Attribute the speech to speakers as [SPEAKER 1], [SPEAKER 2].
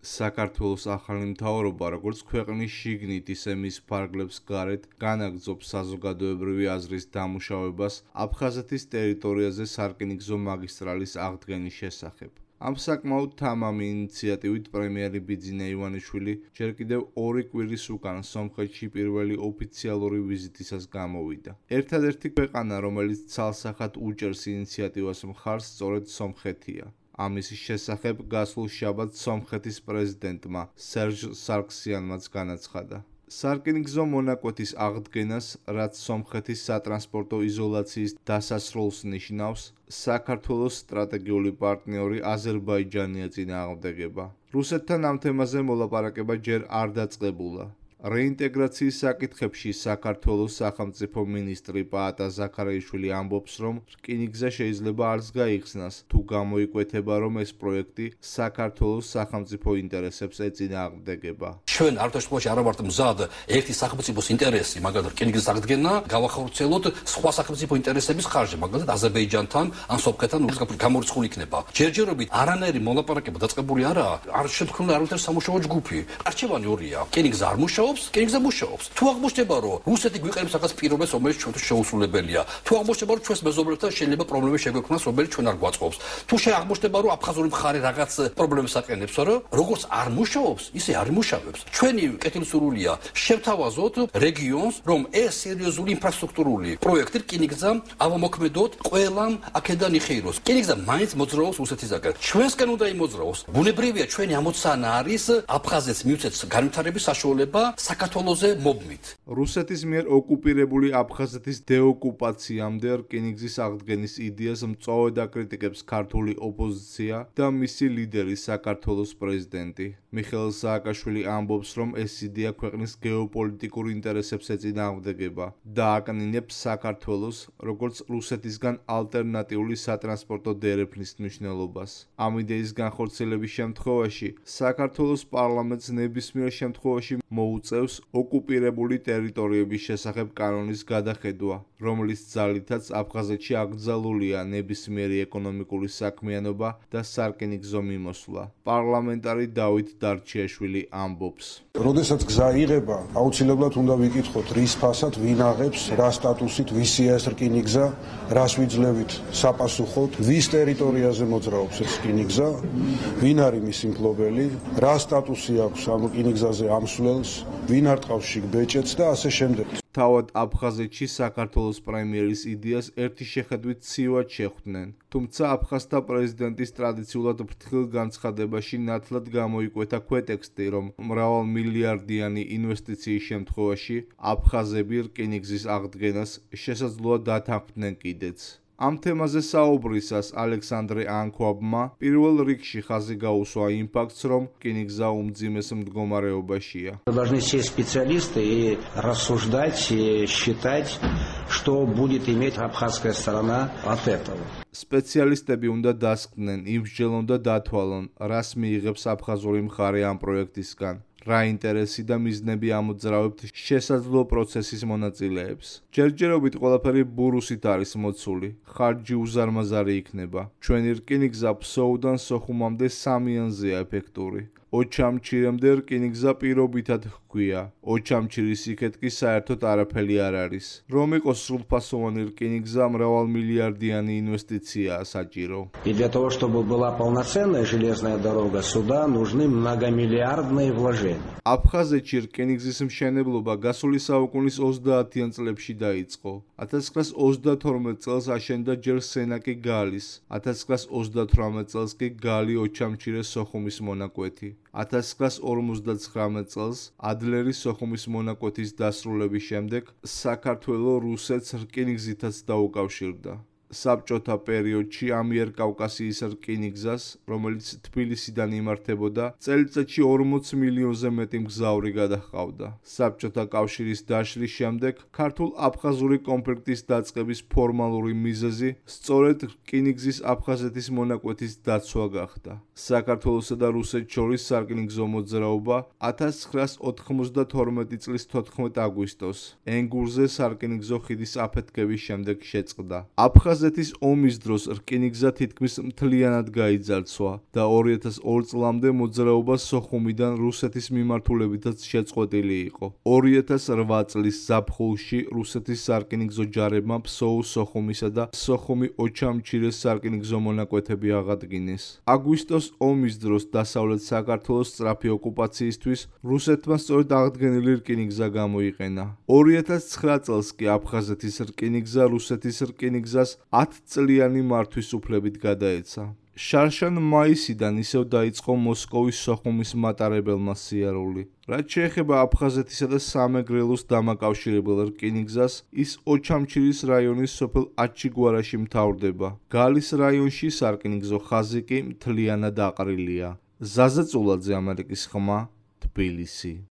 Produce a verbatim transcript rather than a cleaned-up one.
[SPEAKER 1] საქართველოს ახალი მთავრობა, როგორც ქვეყნის შიგნით, ისე მის ფარგლებს გარეთ, განაგრძობს საზოგადოებრივი აზრის დამუშავებას აფხაზეთის ტერიტორიაზე სარკინიგზო მაგისტრალის აღდგენის შესახებ. ამ საკმაოდ თამამი ინიციატივით პრემიერი ბიძინა ივანიშვილი ჯერ კიდევ ორი კვირის უკან სომხეთში პირველი ოფიციალური ვიზიტისას გამოვიდა. ერთადერთი ქვეყანა, რომელიც ცალსახად უჭერს ინიციატივას მხარს, სწორედ სომხეთია. ამის შესახებ გასულ შაბათს სომხეთის პრეზიდენტმა სერჟ სარქსიანმაც განაცხადა. სარკინიგზო მონაკვეთის აღდგენას, რაც სომხეთის სატრანსპორტო იზოლაციის დასასრულს ნიშნავს, საქართველოს სტრატეგიული პარტნიორი აზერბაიჯანია წინააღმდეგება. რუსეთთან ამ თემაზე მოლაპარაკება ჯერ არ დაწყებულა. რეინტეგრაციის საკითხებში საქართველოს სახელმწიფო მინისტრი პაატა ზაქარაიშვილი ამბობს, რომ რკინიგზა შეიძლება არც გაიხსნას, თუ გამოიკვეთება, რომ ეს პროექტი საქართველოს სახელმწიფო ინტერესებს ეწინააღმდეგება.
[SPEAKER 2] ჩვენ არ თვითონ არა ვართ მზად ერთი სახელმწიფოს ინტერესი, მაგალითად რკინიგზის აღდგენა, გავახორციელოთ სხვა სახელმწიფო ინტერესების ხარჯზე, მაგალითად აზერბაიჯანთან ან სომხეთთან გამორიცხული იქნება. ჯერჯერობით არანაირი მოლაპარაკება დაწყებული არაა, არ შემთხვევა არავითარ სამუშაო ჯგუფი. არჩევანი ორია. რკინიგზა არ მუშაობს, რკინიგზა მუშაობს. თუ აღმოჩნდება, რომ რუსეთი გვიყენებს რაღაც პირობებს, რომელიც ჩვენთვის შეუსრულებელია, თუ აღმოჩნდება, რომ ჩვენს მეზობლებთან შეიძლება პრობლემები შეგვექმნას, რომელიც ჩვენ არ გვაწყობს, თუ აღმოჩნდება, რომ აფხაზური მხარე რაღაც პრობლემებს აყენებს, რომ როგორც არ მუშაობს, ისე არ იმუშავებს. ჩვენი კეთილსურვილია შევთავაზოთ რეგიონს, რომ ეს სერიოზული ინფრასტრუქტურული პროექტი რკინიგზა ავამოქმედოთ, ყველამ აქედან იხეიროს. რკინიგზა მაინც მოძრაობს რუსეთისაგან. ჩვენსკენ უნდა იმოძრაოს. ბუნებრივია ჩვენი ამოცანა არის აფხაზეთს მივცეთ განვითარების საშუალება საქართველოზე მობმით.
[SPEAKER 1] რუსეთის მიერ ოკუპირებული აფხაზეთის დეოკუპაციამდე რკინიგზის აღდგენის იდეას მწვავედ აკრიტიკებს ქართული ოპოზიცია და მისი ლიდერი საქართველოს პრეზიდენტი. მიხეილ სააკაშვილი ამბობს, რომ ეს იდეა ქვეყნის გეოპოლიტიკურ ინტერესებს ეწინააღმდეგება და აკნინებს საქართველოს, როგორც რუსეთისგან ალტერნატიული სატრანსპორტო დერეფნის მნიშვნელობას. ამ იდეის განხორციელების შემთხვევაში საქართველოს პარლამენტს ნებისმიერ შემთხვევაში მოუწევს ოკუპირებული ტერიტორიების შესახებ კანონის გადახედვა, რომლის ძალითაც აფხაზეთში აკრძალულია ნებისმიერი ეკონომიკური საქმიანობა და სარკინიგზო მიმოსვლა. პარლამენტარი დავით დარჩიაშვილი ამბობს.
[SPEAKER 3] როდესაც გზა იღება, აუცილებლად უნდა ვიკითხოთ, რის ფასად ვინ აღებს, რა სტატუსით, ვისია ეს რკინიგზა, რას ვიძლევით საპასუხოდ, ვის ტერიტორიაზე მოძრაობს ეს რკინიგზა, ვინ არის მისი მფლობელი, რა სტატუსი აქვს ამ რკინიგზაზე ამსვლელს, ვინ არტყავს შიგ ბეჭედს და ასე შემდეგ.
[SPEAKER 1] თავად აფხაზეთში საქართველოს პრემიერის იდეას ერთი შეხედვით ცივად შეხვდნენ, თუმცა აფხაზთა პრეზიდენტის ტრადიციულად ფრთხილ განცხადებაში ნათლად გამოიკვეთა ქვეტექსტი, რომ მრავალმილიარდიანი ინვესტიციის შემთხვევაში აფხაზები რკინიგზის აღდგენას შესაძლოა დათანხმდნენ კიდეც. ამ თემაზე საუბრისას ალექსანდრე ანქვაბმა პირველ რიგში ხაზი გაუსვა იმ ფაქტს, რომ რკინიგზა უმძიმეს მდგომარეობაშია.
[SPEAKER 4] Должны сесть специалисты и рассуждать, и считать, что будет иметь абхазская сторона от этого.
[SPEAKER 1] სპეციალისტები უნდა დასკდნენ, იმსჯელონ და დათვალონ, რას მიიღებს აფხაზური მხარე ამ პროექტისგან. რა ინტერესი და მიზნები ამოძრავებთ შესაძლო პროცესის მონაწილეებს. ჯერჯერობით ყველაფერი ბურუსით არის მოცული, ხარჯი უზარმაზარი იქნება. ჩვენი რკინიგზა ფსოუდან სოხუმამდე სამიანზეა ეფექტური. ოჩამჩირემდე რკინიგზა პირობითად ჰქვია. ოჩამჩირის იქეთ კი საერთოდ არაფერი არ არის. რომ იყოს სრულფასოვანი რკინიგზა, მრავალმილიარდიანი ინვესტიციაა საჭირო.
[SPEAKER 4] И для того, чтобы была полноценная железная дорога, сюда нужны многомиллиардные вложения.
[SPEAKER 1] აფხაზეთში რკინიგზის მშენებლობა გასული საუკუნის ოცდაათიან წლებში დაიწყო. ათას ცხრაას ოცდათორმეტ წელს აშენდა ჯერ სენაკი გალის, ათას ცხრაას ოცდათვრამეტ წელს კი გალი ოჩამჩირეს სოხუმის მონაკვეთი. ათას ცხრაას ორმოცდაცხრამეტ წელს ადლერის სოხუმის მონაკვეთის დასრულების შემდეგ საქართველო რუსეთს რკინიგზითაც დაუკავშირდა. საბჭოთა პერიოდში ამიერკავკასიის რკინიგზას, რომელიც თბილისიდან იმართებოდა, წელიწადში ორმოც მილიონზე მეტი მგზავრი გადაჰყავდა. საბჭოთა კავშირის დაშლის შემდეგ ქართულ-აფხაზური კონფლიქტის დაწყების ფორმალური მიზეზი სწორედ რკინიგზის აფხაზეთის მონაკვეთის დაცვა გახდა. საქართველოსა და რუსეთს შორის სარკინიგზო მოძრაობა ათას ცხრაას ოთხმოცდათორმეტი წლის თოთხმეტ აგვისტოს ენგურზე სარკინიგზო ხიდის აფეთქების შემდეგ შეწყდა. აფხაზ აფხაზეთის ომის დროს რკინიგზა თითქმის მთლიანად გაიძარცვა და ორი ათას ორი წლამდე მოძრაობა სოხუმიდან რუსეთის მიმართულებითაც შეწყვეტილი იყო. ორი ათას რვა წლის ზაფხულში რუსეთის სარკინიგზო ჯარებმა ფსოუს სოხუმისა და სოხუმი ოჩამჩირეს სარკინიგზო მონაკვეთები აღადგინეს. აგვისტოს ომის დროს დასავლეთ საქართველოს სწრაფი ოკუპაციისთვის რუსეთმა სწორედ აღდგენილი რკინიგზა გამოიყენა. ორი ათას ცხრა წელს კი აფხაზეთის რკინიგზა რუსეთის რკინიგზას ათწლიანი მართვის უფლებით გადაეცა. შარშან მაისიდან ისევ დაიწყო მოსკოვის სოხუმის მატარებელმა სიარული. რაც შეეხება აფხაზეთისა და სამეგრელოს დამაკავშირებელ რკინიგზას, ის ოჩამჩირის რაიონის სოფელ აჩიგვარაში მთავრდება. გალის რაიონში სარკინიგზო ხაზი კი მთლიანად აყრილია. ზაზა წულაძე, ამერიკის ხმა, თბილისი.